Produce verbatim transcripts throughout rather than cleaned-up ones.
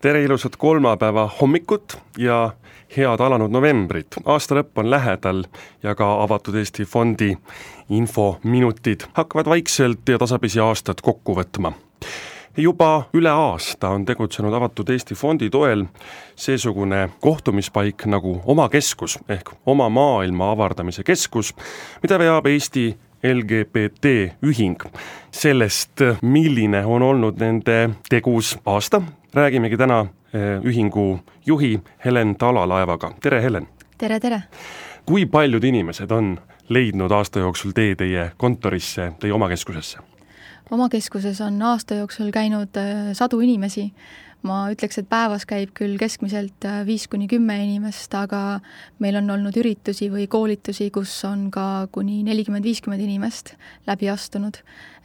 Tere ilusat kolmapäeva hommikut ja head alanud novembrit. Aasta lõpp on lähedal ja ka Avatud Eesti Fondi infominutid hakkavad vaikselt ja tasapisi aastat kokku võtma. Juba üle aasta on tegutsenud Avatud Eesti Fondi toel seesugune kohtumispaik nagu Oma Keskus ehk Oma Maailma avardamise keskus, mida veab Eesti L G B T ühing. Sellest, milline on olnud nende tegus aasta, räägimegi täna ühingu juhi Helen Talalaevaga. Tere, Helen! Tere, tere! Kui paljud inimesed on leidnud aasta jooksul tee teie kontorisse, teie oma keskusesse? Oma keskuses on aasta jooksul käinud sadu inimesi. Ma ütleks, et päevas käib küll keskmiselt viis kuni kümme inimest, aga meil on olnud üritusi või koolitusi, kus on ka kuni nelikümmend viiskümmend inimest läbi astunud.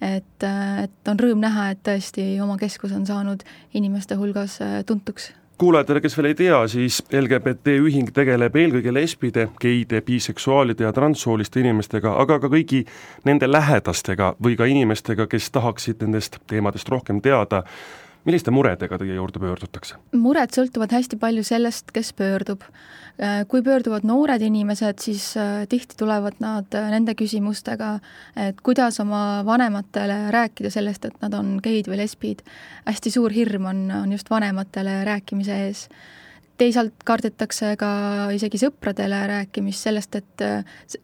Et, et on rõõm näha, et tõesti Oma Keskus on saanud inimeste hulgas tuntuks. Kuulajatele, kes veel ei tea, siis L G B T ühing tegeleb eelkõige lesbide, geide, biseksuaalide ja transsooliste inimestega, aga ka kõigi nende lähedastega või ka inimestega, kes tahaksid nendest teemadest rohkem teada. Milliste muredega teie juurde pöördutakse? Mured sõltuvad hästi palju sellest, kes pöördub. Kui pöörduvad noored inimesed, siis tihti tulevad nad nende küsimustega, et kuidas oma vanematele rääkida sellest, et nad on geid või lesbid. Hästi suur hirm on, on just vanematele rääkimise ees. Teisalt kardetakse ka isegi sõpradele rääkimist sellest, et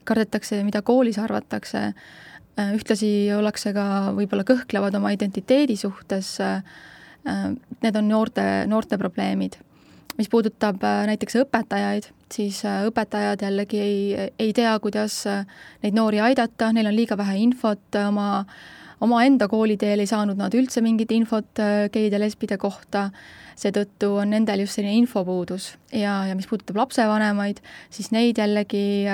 kardetakse, mida koolis arvatakse. Ühtlasi ollakse ka võib-olla kõhklevad oma identiteedi suhtes. Need on noorte, noorte probleemid. Mis puudutab näiteks õpetajaid, siis õpetajad jällegi ei, ei tea, kuidas neid noori aidata, neil on liiga vähe infot, oma, oma enda kooliteel ei saanud nad üldse mingit infot geide ja lesbide kohta, seetõttu on nendel just selline infopuudus. Ja, ja mis puudutab lapsevanemaid, siis neid jällegi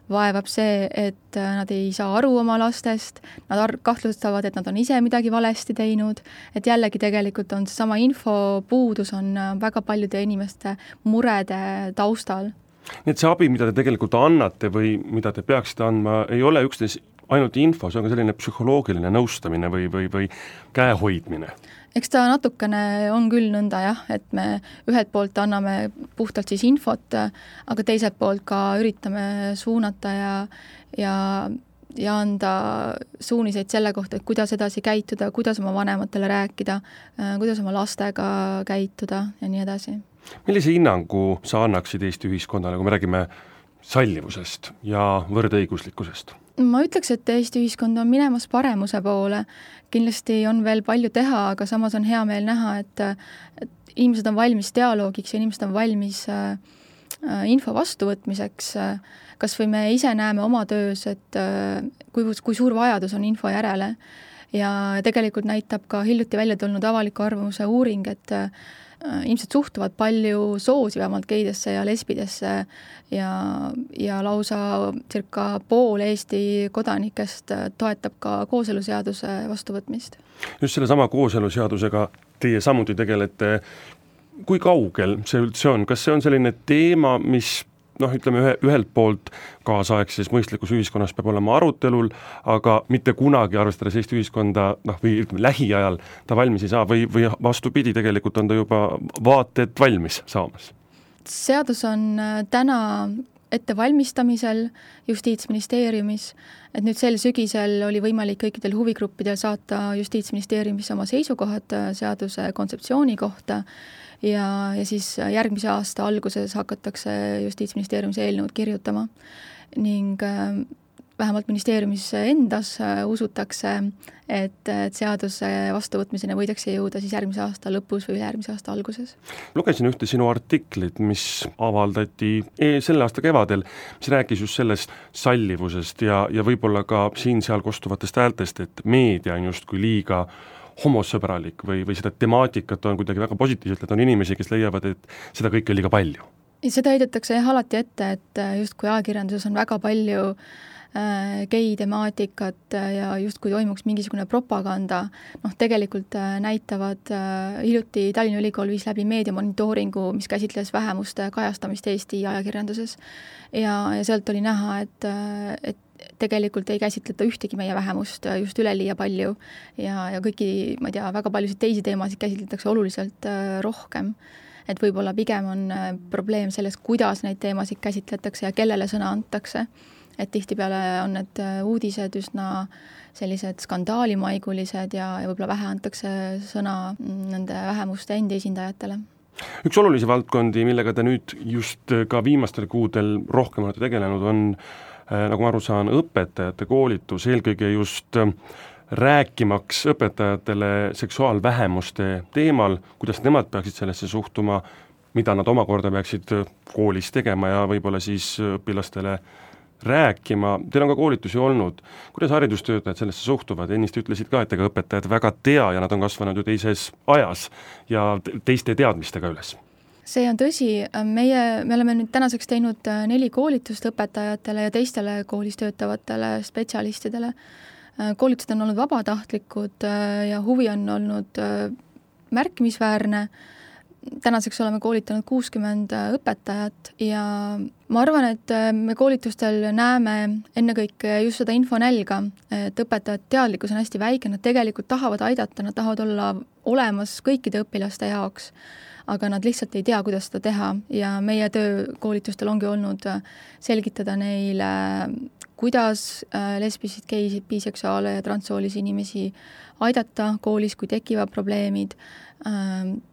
vaevab see, et nad ei saa aru oma lastest, nad ar- kahtlustavad, et nad on ise midagi valesti teinud, et jällegi tegelikult on seesama infopuudus on väga paljude inimeste murede taustal. Nii et see abi, mida te tegelikult annate või mida te peaksite andma, ei ole üksnes ainult info, see on ka selline psühholoogiline nõustamine või, või, või käehoidmine. Eks ta natukene on küll nõnda jah, et me ühelt poolt anname puhtalt siis infot, aga teiselt poolt ka üritame suunata ja, ja, ja anda suuniseid selle kohta, et kuidas edasi käituda, kuidas oma vanematele rääkida, kuidas oma lastega käituda ja nii edasi. Millise hinnangu sa annaksid Eesti ühiskonnale, kui me räägime sallivusest ja võrdõiguslikkusest? Ma ütleks, et Eesti ühiskond on minemas paremuse poole. Kindlasti on veel palju teha, aga samas on hea meel näha, et, et inimesed on valmis dialoogiks ja inimesed on valmis äh, info vastuvõtmiseks. Kas või me ise näeme oma töös, et äh, kui, kui suur vajadus on info järele. Ja tegelikult näitab ka hiljuti välja tulnud avaliku arvamuse uuring, et äh, ilmselt suhtuvad palju soosi vähemalt geidesse ja lesbidesse ja, ja lausa circa pool Eesti kodanikest toetab ka kooseluseaduse vastuvõtmist. Just selle sama kooseluseadusega teie samuti tegelete. Kui kaugel see üldse on? Kas see on selline teema, mis noh, ütleme ühe, ühelt poolt kaasaegses mõistlikus ühiskonnas peab olema arutelul, aga mitte kunagi arvestades Eesti ühiskonda noh, või ütleme, lähiajal ta valmis ei saa või, või vastupidi, tegelikult on ta juba vaated valmis saamas? Seadus on täna ette valmistamisel Justiitsministeeriumis, et nüüd sel sügisel oli võimalik kõikidel huvigruppidel saata Justiitsministeeriumisse oma seisukohad seaduse kontseptsiooni kohta ja, ja siis järgmise aasta alguses hakatakse Justiitsministeeriumis eelnõud kirjutama ning vähemalt ministeeriumis endas usutakse, et, et seaduse vastuvõtmisena võidakse jõuda siis järgmise aasta lõpus või järgmise aasta alguses. Lugesin ühte sinu artiklit, mis avaldati selle aasta kevadel, mis rääkis just sellest sallivusest ja, ja võib-olla ka siin-seal kostuvatest häältest, et meedia on justkui liiga homosõbralik või, või seda temaatikat on kuidagi väga positiivselt, et on inimesi, kes leiavad, et seda kõike on liiga palju. Seda heidetakse jah alati ette, et justkui ajakirjanduses on väga palju gei-temaatikat ja justkui toimuks mingisugune propaganda. Noh, tegelikult näitavad hiljuti Tallinna Ülikool viis läbi meediamonitooringu, mis käsitles vähemuste kajastamist Eesti ajakirjanduses. Ja, ja sealt oli näha, et, et tegelikult ei käsitleta ühtegi meie vähemust just üleliia palju ja, ja kõiki, ma ei tea, väga paljusid teisi teemasid käsitletakse oluliselt rohkem. Et võib-olla pigem on probleem selles, kuidas neid teemasid käsitletakse ja kellele sõna antakse. Et tihtipeale on need uudised üsna sellised skandaalimaigulised ja, ja võib-olla vähe antakse sõna nende vähemuste endi esindajatele. Üks olulisi valdkondi, millega te nüüd just ka viimastel kuudel rohkem olete tegelenud, on, nagu ma aru saan, õpetajate koolitus, eelkõige just rääkimaks õpetajatele seksuaalvähemuste teemal, kuidas nemad peaksid sellesse suhtuma, mida nad omakorda peaksid koolis tegema ja võib-olla siis õpilastele rääkima. Teil on ka koolitusi olnud. Kuidas haridustöötajad sellesse suhtuvad? Ennist ütlesid ka, et ega õpetajad väga tea ja nad on kasvanud ju teises ajas ja teiste teadmistega üles. See on tõsi. Meie, me oleme nüüd tänaseks teinud neli koolitust õpetajatele ja teistele koolis töötavatele spetsialistidele. Koolitused on olnud vabatahtlikud ja huvi on olnud märkimisväärne. Tänaseks oleme koolitanud kuuskümmend õpetajat ja ma arvan, et me koolitustel näeme ennekõike just seda infonälga, et õpetajad teadlikkus on hästi väike, nad tegelikult tahavad aidata, nad tahavad olla olemas kõikide õpilaste jaoks, aga nad lihtsalt ei tea, kuidas seda teha ja meie töö koolitustel ongi olnud selgitada neile, kuidas lesbisid, geisid, biseksuaale ja transsoolisi inimesi aidata koolis, kui tekivad probleemid.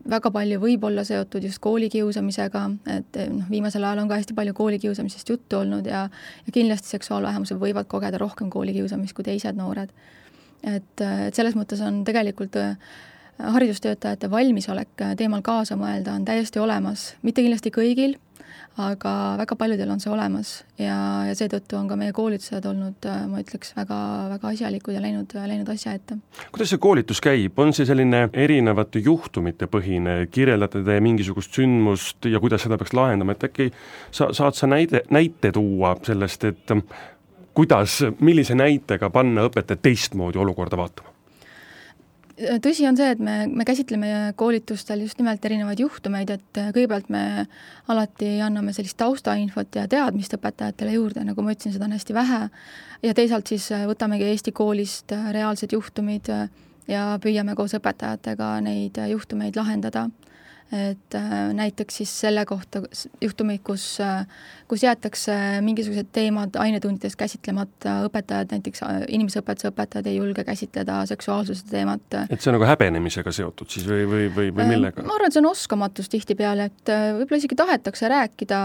Väga palju võib olla seotud just koolikiusamisega, et noh, viimasel ajal on ka hästi palju koolikiusamisest juttu olnud ja, ja kindlasti seksuaalvähemused võivad kogeda rohkem koolikiusamist kui teised noored. Et, et selles mõttes on tegelikult haridustöötajate valmisolek teemal kaasa mõelda on täiesti olemas, mitte kindlasti kõigil, aga väga paljudel on see olemas ja, ja seetõttu on ka meie koolitused olnud, ma ütleks, väga, väga asjalikud ja läinud, läinud asja ette. Kuidas see koolitus käib? On see selline erinevate juhtumite põhine? Kirjeldate te mingisugust sündmust ja kuidas seda peaks lahendama? Et äkki sa, saad sa näide, näite tuua sellest, et kuidas, millise näitega panna õpetajad teistmoodi olukorda vaatama? Tõsi on see, et me, me käsitleme koolitustel just nimelt erinevaid juhtumeid, et kõigepealt me alati anname sellist taustainfot ja teadmist õpetajatele juurde, nagu ma ütlesin, seda on hästi vähe ja teisalt siis võtamegi Eesti koolist reaalsed juhtumid ja püüame koos õpetajatega neid juhtumeid lahendada. Et näiteks siis selle kohta juhtumid, kus, kus jäetakse mingisugused teemad ainetundides käsitlemata, õpetajad, näiteks inimeseõpetuse õpetajad ei julge käsitleda seksuaalsuse teemat. Et see on nagu häbenemisega seotud siis või, või, või, või millega? Ma arvan, et see on oskamatus tihtipeale, et võib-olla isegi tahetakse rääkida,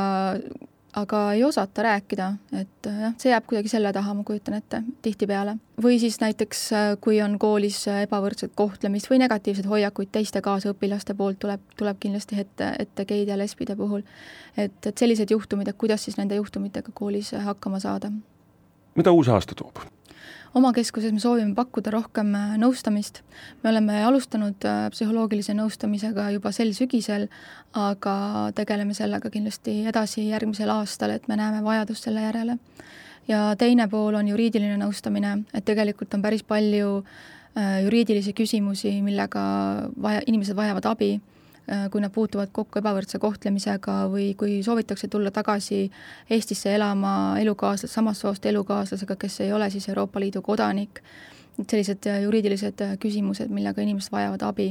aga ei osata rääkida, et jah, see jääb kuidagi selle taha, ma kujutan ette, tihtipeale. Või siis näiteks, kui on koolis ebavõrdset kohtlemist või negatiivsed hoiakuid teiste kaasõpilaste poolt, tuleb, tuleb kindlasti ette, ette geide ja lesbide puhul. Et, et sellised juhtumid, et kuidas siis nende juhtumitega koolis hakkama saada. Mida uus aasta toob? Oma keskuses me soovime pakkuda rohkem nõustamist. Me oleme alustanud psühholoogilise nõustamisega juba sel sügisel, aga tegeleme sellega kindlasti edasi järgmisel aastal, et me näeme vajadust selle järele. Ja teine pool on juriidiline nõustamine, et tegelikult on päris palju juriidilisi küsimusi, millega vaja, inimesed vajavad abi, kui nad puutuvad kokku ebavõrdse kohtlemisega või kui soovitakse tulla tagasi Eestisse elama elukaaslas, samast soost elukaaslasega, kes ei ole siis Euroopa Liidu kodanik. Sellised juriidilised küsimused, millega inimesed vajavad abi.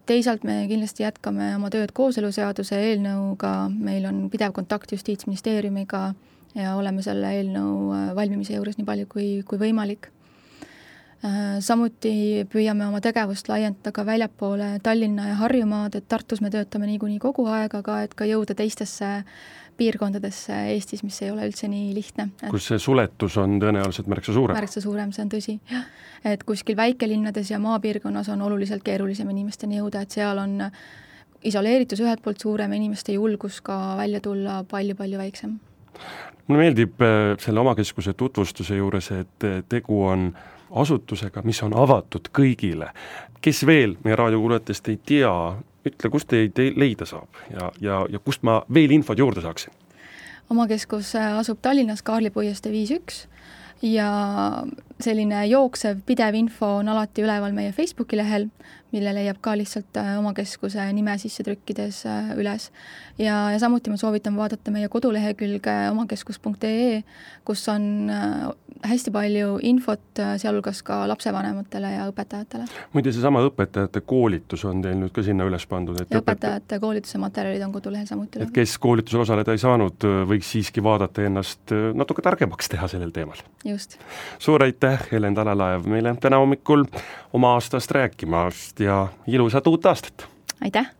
Teisalt me kindlasti jätkame oma tööd kooseluseaduse eelnõuga, meil on pidev kontakt Justiitsministeeriumiga ja oleme selle eelnõu valmimise juures nii palju kui, kui võimalik. Samuti püüame oma tegevust laiendada ka väljapoole Tallinna ja Harjumaad, et Tartus me töötame niikuinii kogu aeg, aga et ka jõuda teistesse piirkondadesse Eestis, mis ei ole üldse nii lihtne. Kus see suletus on tõenäoliselt märksa suurem? Märksa suurem, see on tõsi. Et kuskil väikelinnades ja maapiirkonnas on oluliselt keerulisem inimesteni jõuda, et seal on isoleeritus ühelt poolt suurem, inimeste julgus ka välja tulla palju-palju väiksem. Mulle meeldib selle omakeskuse tutvustuse juures, et tegu on asutusega, mis on avatud kõigile. Kes veel meie raadiokuulajatest ei tea, ütle, kust teid leida saab ja, ja, ja kust ma veel infot juurde saaksin? Omakeskus asub Tallinnas Kaarli puiestee viis üks ja selline jooksev pidev info on alati üleval meie Facebooki lehel, mille leiab ka lihtsalt oma keskuse nime sisse trükkides üles. Ja, ja samuti ma soovitan vaadata meie kodulehekülge omakeskus punkt ee, kus on hästi palju infot, sealhulgas ka lapsevanematele ja õpetajatele. Muide, seesama õpetajate koolitus on teil nüüd ka sinna üles pandud. Et ja õpetajate koolituse materjalid on kodulehel samuti. Et kes koolitusel osaleda ei saanud, võiks siiski vaadata ennast natuke targemaks teha sellel teemal. Just. Suur aitäh, Helen Talalaev, meile täna hommikul oma aastast rääkimast ja ilusat uut aastat! Aitäh!